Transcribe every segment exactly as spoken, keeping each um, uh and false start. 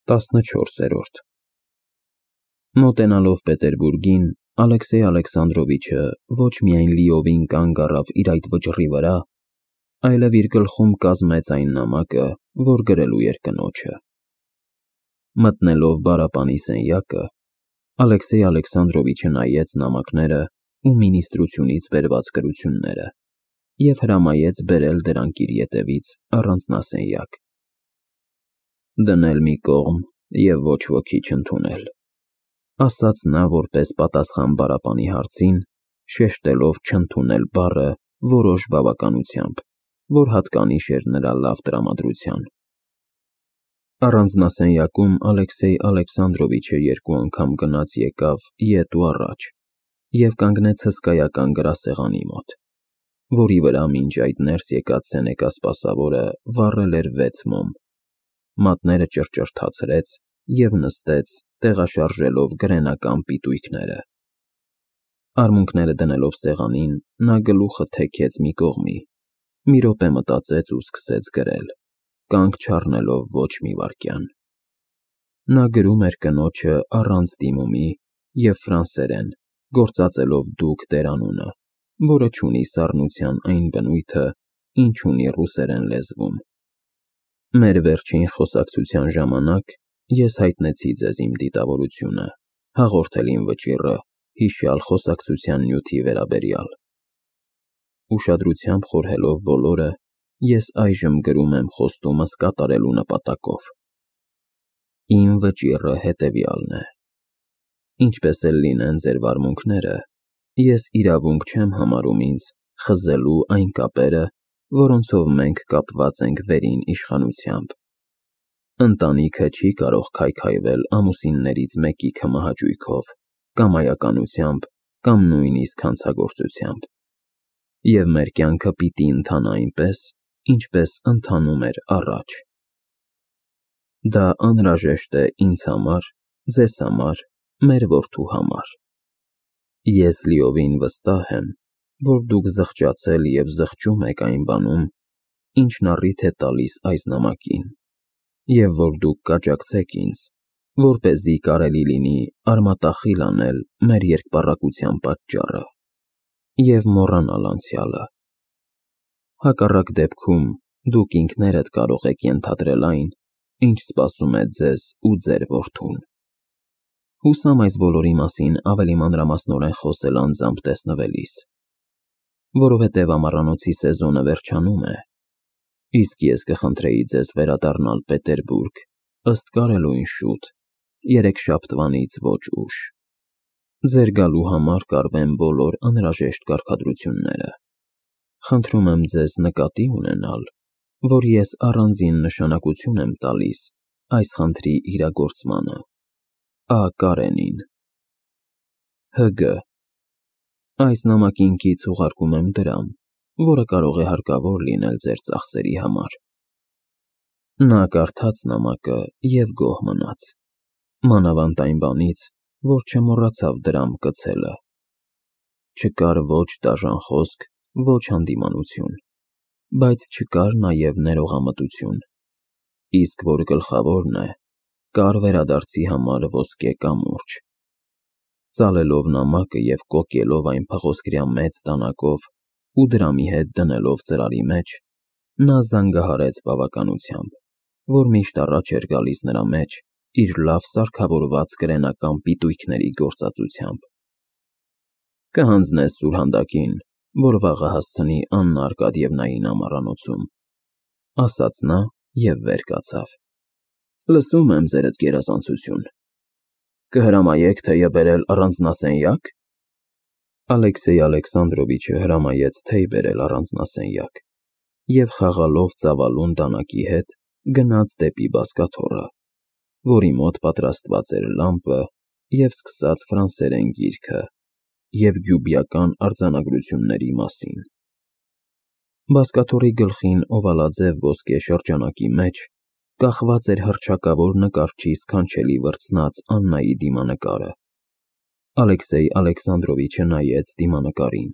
տասնչորսերորդ Մոտենալով Պետերբուրգին, Ալեքսեյ Ալեքսանդրովիչը ոչ միայն լիովին կանգ առավ իր այդ վճռի վրա, այլև իր գլխում կազմեց այն նամակը, որ գրելու էր կնոջը։ Մտնելով բարապանի սենյակը, Ալեքսեյ Ալեքսանդրովիչը նայեց նամակները ու մինիստրությունից բերված գրությունները և հրամայեց բերել դրանք իր ետևից առանձնասենյակ։ Դնել մի կողմ և ոչ ոքի չընդունել, ասաց նա որպես պատասխան բարապանի հարցին, շեշտելով չընդունել բառը որոշ բավականությամբ, որ հատկանիշ էր նրա լավ տրամադրության։ Առանձնասենյակում Ալեքսեյ Ալեքսանդրովիչը երկու անգամ գնաց եկավ ետ ու առաջ և կանգնեց հսկայական գրասեղանի մոտ, որի վրա մինչ այդ ներս եկած սենեկա սպասավորը վառել էր վեց մոմ, մատները ճռճռթացրեց և նստեց, տեղաշարժելով գրենական պիտույքները։ Արմունկները դնելով սեղանին, նա գլուխը թեքեց մի կողմի, մի րոպե մտածեց ու սկսեց գրել, կանգ չառնելով ոչ մի վայրկյան։ Նա գրում էր կնոջը առանց դիմումի և ֆրանսերեն, գործածելով դուք դերանունը, որը չունի սառնության այն բնույթը, ինչ ունի ռուսերեն լեզվում։ Մեր վերջին խոսակցության ժամանակ ես հայտնեցի ձեզ իմ դիտավորությունը, հաղորդել իմ վճիռը հիշյալ խոսակցության նյութի վերաբերյալ։ Ուշադրությամբ խորհելով բոլորը, ես այժմ գրում եմ խոստումս կատարելու նպատակով։ Իմ վճիռը հետևյալն է. ինչպես էլ լինեն ձեր վարմունքները, ես իրավունք չեմ համարում ինձ խզելու այն կապերը, որոնցով մենք կապված ենք վերին իշխանությամբ։ Ընտանիքը չի կարող քայքայվել ամուսիններից մեկի քմահաճույքով, կամայականությամբ կամ նույնիսկ հանցագործությամբ, և մեր կյանքը պիտի ընթանա այնպես, ինչպես ընթանում էր առաջ։ Դա անհրաժեշտ է ինձ համար, ձեզ համար, մեր որդու համար։ Ես լիովին վստահ եմ, որ դուք զղջացել և զղջում եք այն բանում, ինչն առիթ է տալիս այս նամակին, և որ դուք կաջակցեք ինձ, որպեսզի կարելի լինի արմատախիլ անել մեր երկպառակտության պատճառը և մոռանալ անցյալը։ Հակառակ դեպքում դուք ինքներդ կարող եք ենթադրել այն, ինչ սպասում է ձեզ ու ձեր որդուն։ Հուսամ այս բոլորի մասին ավելի մանրամասնորեն խոսել անձամբ տեսնվելիս, որովհետև ամառանոցի սեզոնը վերջանում է, իսկ ես կխնդրեի ձեզ վերադառնալ Պետերբուրգ ըստ կարելույն շուտ, երեքշաբթվանից ոչ ուշ։ Ձեր գալու համար կարվեն բոլոր անհրաժեշտ կարգադրությունները։ Խնդրում եմ ձեզ նկատի ունենալ, որ ես առանձին նշանակություն եմ տալիս այս խնդրի իրագործմանը։ Ա. Կարենին Հ Գ Այս նամակին կից ուղարկում եմ դրամ, որը կարող է հարկավոր լինել ձեր ծախսերի համար։ Նա կարդաց նամակը և գոհ մնաց, մանավանդ այն բանից, որ չմոռացավ դրամ կցելը։ Չկար ոչ դաժան խոսք, ոչ հանդիմանություն, բայց չկար նաև ներողամտություն, իսկ որ գլխավորն է, կար վերադարձի համար ոսկե կամուրջ։ Ծալելով նամակը և կոկելով այն փղոսկրյա մեծ դանակով ու դրամի հետ դնելով ծրարի մեջ, նա զանգահարեց բավականությամբ, որ միշտ առաջ էր գալիս նրա մեջ իր լավ սարքավորված գրենական պիտույքների գործածությամբ։ Կհանձնես սուրհանդակին, որ վաղը հասցնի Աննա Արկադիևնային ամառանոցում, ասաց նա և վեր կացավ։ Լսում եմ ձերդ գերազանցություն։ Կհրամայեք թեյը բերել առանձնասենյակ։ Ալեքսեյ Ալեքսանդրովիչը հրամայեց թեյ բերել առանձնասենյակ և խաղալով ծավալուն դանակի հետ գնաց դեպի բազկաթոռը, որի մոտ պատրաստված էր լամպը, և սկսաց ֆրանսերեն գիրքը և գյուբիական արձանագրությունների մասին։ Բազկաթոռի գլխին օվալաձև ոսկե շրջանակի մեջ կախված էր հռչակավոր նկարչի սքանչելի վրձնած Աննայի դիմանկարը։ Ալեքսեյ Ալեքսանդրովիչը նայեց դիմանկարին,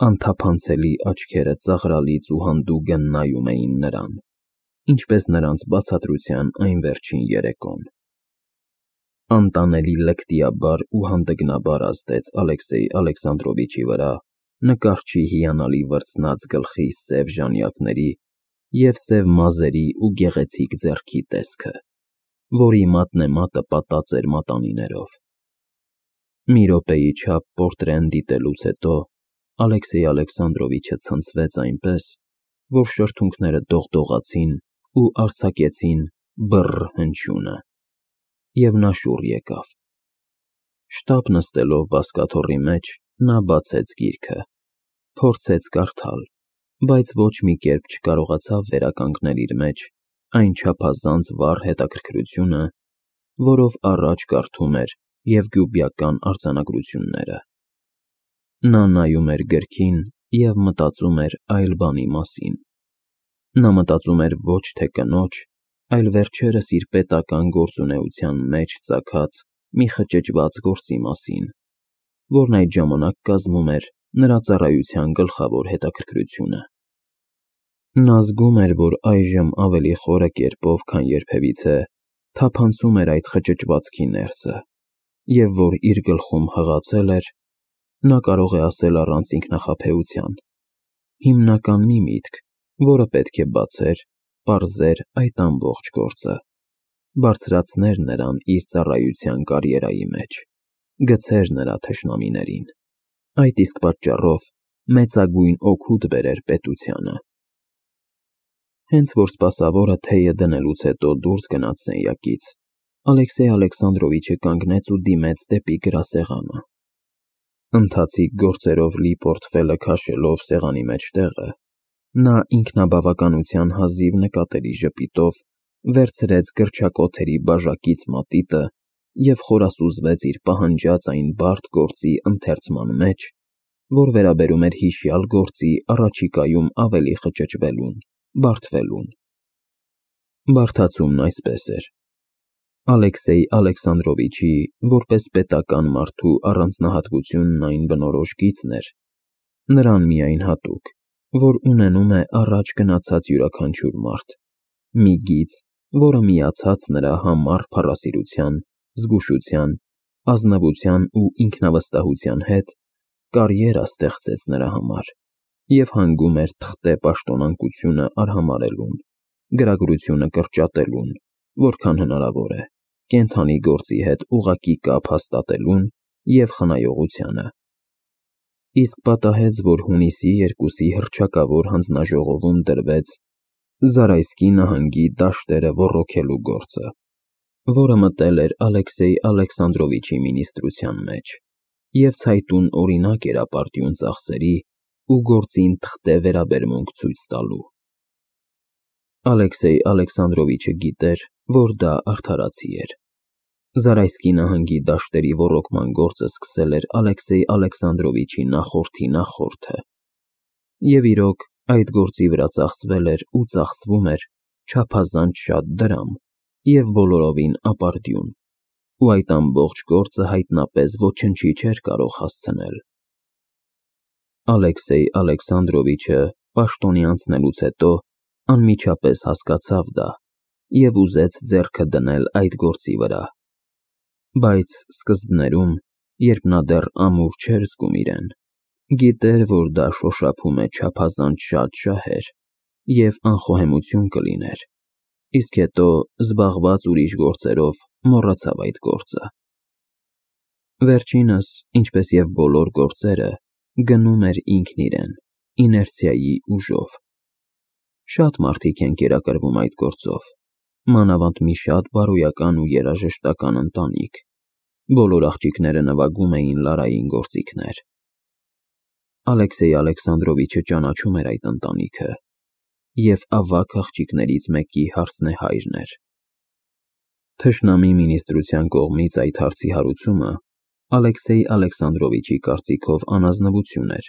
անթափանցելի աչքերը ծաղրալից ու հանդուգն նայում էին նրան, ինչպես նրանց բացատրության այն վերջին երեկոն։ Անտանելի լկտիաբար ու հանդգնաբար ազդեց Ալեքսեյ Ալեքսանդրովիչի վրա նկարչի հիանալի վրձնած գլխի սև ժանյակների և սև մազերի ու գեղեցիկ ձեռքի տեսքը, որի մատնեմատը պատած էր մատանիներով։ Մի րոպեի չափ պորտրեն դիտելուց հետո Ալեքսեյ Ալեքսանդրովիչը ցնցվեց այնպես, որ շրթունքները դողդողացին ու արձակեցին բռռ հնչյունը, և նա շուռ եկավ։ Շտապ նստելով բազկաթոռի մեջ, նա բացեց գիրքը, փորձեց կարդալ, բայց ոչ մի կերպ չկարողացավ վերականգնել իր մեջ այն չափազանց վառ հետաքրքրությունը, որով առաջ կարդում էր Եվգյուբիական արձանագրությունները։ Նա նայում էր գրքին և մտածում էր այլ բանի մասին։ Նա մտածում էր ոչ թե կնոջ, այլ վերջերս իր պետական գործունեության մեջ ծագած մի խճճված գործի մասին, որն այդ ժամանակ կազմում էր նրա ծառայության գլխավոր հետաքրքրությունը։ Նա զգում էր, որ այժմ ավելի խորը կերպով, քան երբևիցե, թափանցում էր այդ խճճվածքի ներսը, և որ իր գլխում հղացել էր, նա կարող է ասել առանց ինքնախաբեության, հիմնական մի միտք, որը պետք է բացեր, պարզեր այդ ամբողջ գործը, բարձրացներ նրան իր ծառայության կարիերայի մեջ, գցեր նրա թշնամիներին, այդ իսկ պատճառով մեծագույն օգուտ բերեր պետությանը։ Հենց որ սպասավորը թեյը դնելուց հետո դուրս գնաց սենյակից, Ալեքսեյ Ալեքսանդրովիչը կանգնեց ու դիմեց դեպի գրասեղանը։ Ընթացիկ գործերով լի պորտֆելը քաշելով սեղանի մեջ տեղը, նա ինքնաբավականության հազիվ նկատելի ժպիտով վերցրեց գրչակոթերի բաժակից մատիտը և խորասուզվեց իր պահանջած այն բարդ գործի ընթերցման մեջ, որ վերաբերում էր հիշյալ գործի առաջիկայում ավելի խճճվելուն, բարդվելուն։ Բարդացումն այսպես էր. Ալեքսեյ Ալեքսանդրովիչի, որպես պետական մարդու առանձնահատկությունն այն բնորոշ գիծն էր, նրան միայն հատուկ, որ ունենում է առաջ գնացած յուրաքանչյուր մարդ, մի գիծ, որը միացած նրա համառ փառասիրության, զգուշության, ազնվության ու ինքնավստահության հետ, կարիերա ստեղծեց նրա համար և հանգում էր թղթե պաշտոնանկությունը արհամարհելուն, գրագրությունը կրճատելուն, որքան հնարավոր է, կենդանի գործի հետ ուղղակի կապ հաստատելուն և խնայողությանը։ Իսկ պատահեց, որ հունիսի երկուսի հռչակավոր հանձնաժողովում դրվեց Զարայսկի նահանգի դաշտերը ոռոգելու գործը, որը մտել էր Ալեքսեյ Ալեքսանդրովիչի մինիստրության մեջ և ցայտուն օրինակ էր ապարդյուն ծախսերի ու գործին թղթե վերաբերմունք ցույց տալու։ Ալեքսեյ Ալեքսանդրովիչը գիտեր, որ դա արդարացի էր։ Զարայսկի նահանգի դաշտերի ոռոգման գործը սկսել էր Ալեքսեյ Ալեքսանդրովիչի նախորդի նախորդը, և իրոք այդ գործի վրա ծախսվել էր ու ծախսվում էր չափազանց շատ դրամ և բոլորովին ապարդյուն, ու այդ ամբողջ գործը հայտնապես ոչնչի չէր կարող հասցնել։ Ալեքսեյ Ալեքսանդրովիչը պաշտոնի անցնելուց հետո անմիջապես հասկացավ դա և ուզեց ձեռքը դնել այդ գործի վրա, բայց սկզբներում, երբ նա դեռ ամուր չէր զգում իրեն, գիտեր, որ դա շոշափում է չափազանց շատ շահեր և անխոհեմություն կլիներ, իսկ հետո, զբաղված ուրիշ գործերով, մոռացավ այդ գործը։ Վերջինս, ինչպես և բոլոր գործերը, գնում էր ինքն իրեն, իներցիայի ուժով։ Շատ մարդիկ են կերակրվում այդ գործով, մանավանդ մի շատ բարոյական ու երաժշտական ընտանիք, բոլոր աղջիկները նվագում էին լարային գործիքներ։ Ալեքսեյ Ալեքսանդրովիչը ճանաչում էր այդ ընտանիքը և ավագ աղջիկներից մեկի հարսնեհայրն էր։ Թշնամի մինիստրության կողմից այդ հարցի հարուցումը Ալեքսեյ Ալեքսանդրովիչի կարծիքով անազնվություն էր,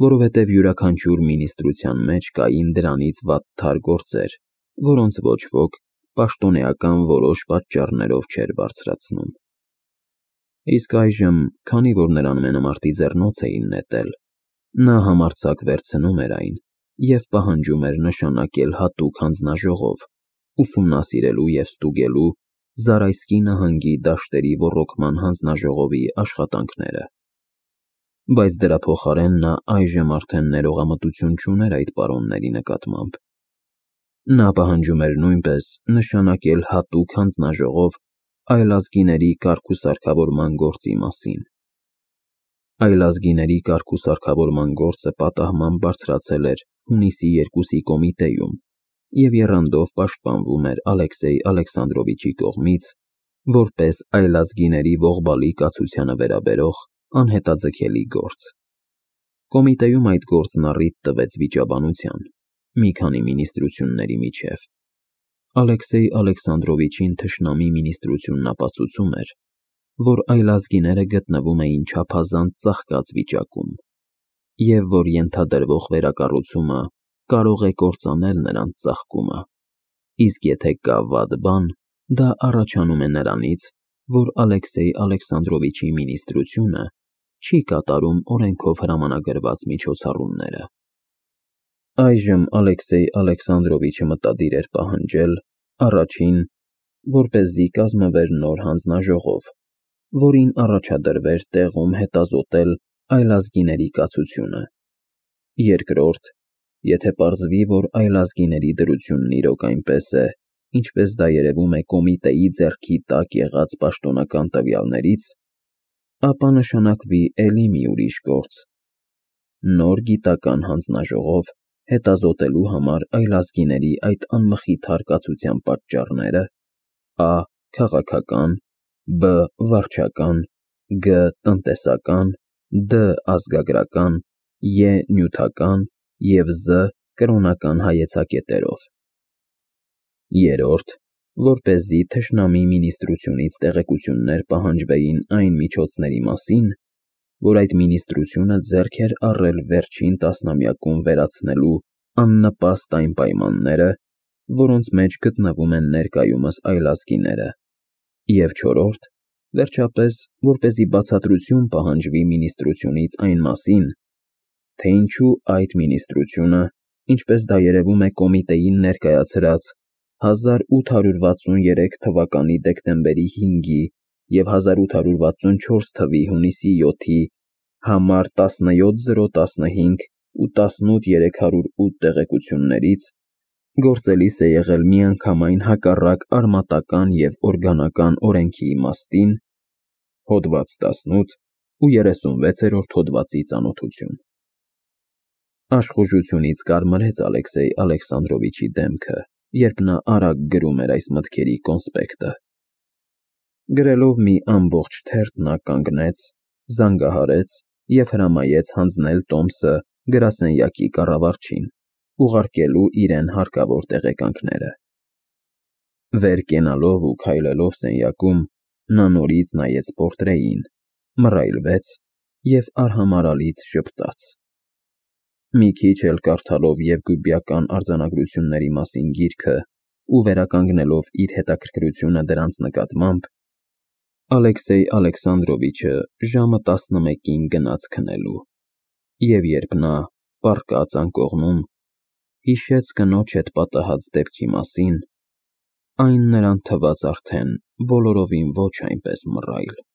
որովհետև յուրաքանչյուր մինիստրության մեջ կային դրանից վատթար գործեր, որոնց ոչ ոք պաշտոնեական որոշ պատճառներով չէր բարձրացնում։ Իսկ այժմ, քանի որ նրան մենամարտի ձեռնոց էին նետել, նա համարձակ վերցնում էր այն և պահանջում էր նշանակել հատուկ հանձնաժողով, ուսումնասիրելու և ստուգելու Զարայսկի նահանգի դաշտերի ոռոգման հանձնաժողովի աշխատանքները։ Բայց դրա փոխարեն նա այժմ արդեն ներողամտություն չուներ այդ պարոնների նկատմամբ։ Նա պահանջում էր նույնպես նշանակել հատուկ հանձնաժողով այլազգիների կարգուսարգավորման գործի մասին։ Այլազգիների կարգուսարգավորման գործը պատահմամբ բարձրացել էր հունիսի երկուսի կոմիտեում և եռանդով պաշտպանվում էր Ալեքսեյ Ալեքսանդրովիչի կողմից որպես այլազգիների ողբալի կացությանը վերաբերող անհետաձգելի գործ։ Կոմիտեում այդ գործն առիթ տվեց վիճաբանության մի քանի մինիստրությունների միջև։ Ալեքսեյ Ալեքսանդրովիչին թշնամի մինիստրությունն ապացուցում էր, որ այլազգիները գտնվում էին չափազանց ծաղկած վիճակում, և որ ենթադրվող վերակառուցումը կարող է կործանել նրանց ծաղկումը, իսկ եթե կա վատ բան, դա առաջանում է նրանից, որ Ալեքսեյ Ալեքսանդրովիչի մինիստրությունը չի կատարում օրենքով հրամանագրված միջոցառումները։ Այժմ Ալեքսեյ Ալեքսանդրովիչը մտադիր էր պահանջել, առաջին, որպեսզի կազմվեր նոր հանձնաժողով, որին առաջադրվեր տեղում հետազոտել այլազգիների կացությունը, երկրորդ, եթե պարզվի, որ այլազգիների դրությունն իրոք այնպես է, ինչպես դա երևում է կոմիտեի ձեռքի տակ եղած պաշտոնական տվյալներից, ապա նշանակվի էլի մի ուրիշ գործ՝ նոր գիտական հանձնաժողով հետազոտելու համար այլազգիների այդ անմխիթար կացության պատճառները՝ ա. քաղաքական, բ. վարչական, գ. տնտեսական, դ. ազգագրական, ե. նյութական և զը. կրոնական հայեցակետերով, երրորդ, որպեսզի թշնամի մինիստրությունից տեղեկություններ պահանջվեին այն միջոցների մասին, որ այդ մինիստրությունը ձեռք էր առել վերջին տասնամյակում վերացնելու աննպաստ այն պայմանները, որոնց մեջ գտնվում են ներկայումս այլազգիները, և չորրորդ, վերջապես, որպեսզի բացատրություն պահանջվի մինիստրությունից այն մասին, թե ինչու այդ մինիստրությունը, ինչպես դա երևում է կոմիտեին ներկայացրած հազար ութ հարյուր վաթսուներեք թվականի դեկտեմբերի հինգի և հազար ութ հարյուր վաթսունչորս թվականի հունիսի յոթի համար տասնյոթ զրո տասնհինգ ու տասնութ երեք հարյուր ութ տեղեկություններից, գործելիս է եղել միանգամայն հակառակ արմատական և օրգանական օրենքի իմաստին, հոդված տասնութ ու երեսունվեցերորդ հոդվածի ծանոթություն։ Աշխուժությունից կարմրեց Ալեքսեյ Ալեքսանդրովիչի դեմքը, երբ նա արագ գրում էր այս մտքերի կոնսպեկտը։ Գրելով մի ամբողջ թերթ նա կանգնեց, զանգահարեց և հրամայեց հանձնել տոմսը գրասենյակի կառավարչին, ուղարկելու իրեն հարկավոր տեղեկանքները։ Վեր կենալով ու քայլելով սենյակում, նա նորից նայեց պորտրեին, մռայլվեց և արհամարհալից ժպտաց։ Մի քիչ էլ կարդալով Եվգուբիական արձանագրությունների մասին գիրքը ու վերականգնելով իր հետաքրքրությունը դրանց նկատմամբ, Ալեքսեյ Ալեքսանդրովիչը ժամը տասնմեկին գնաց քնելու, և երբ նա, պառկած անկողնում, հիշեց կնոջ հետ պատահած դեպքի մասին, այն նրան թվաց արդեն բոլորովին ոչ այնպես մռայլ։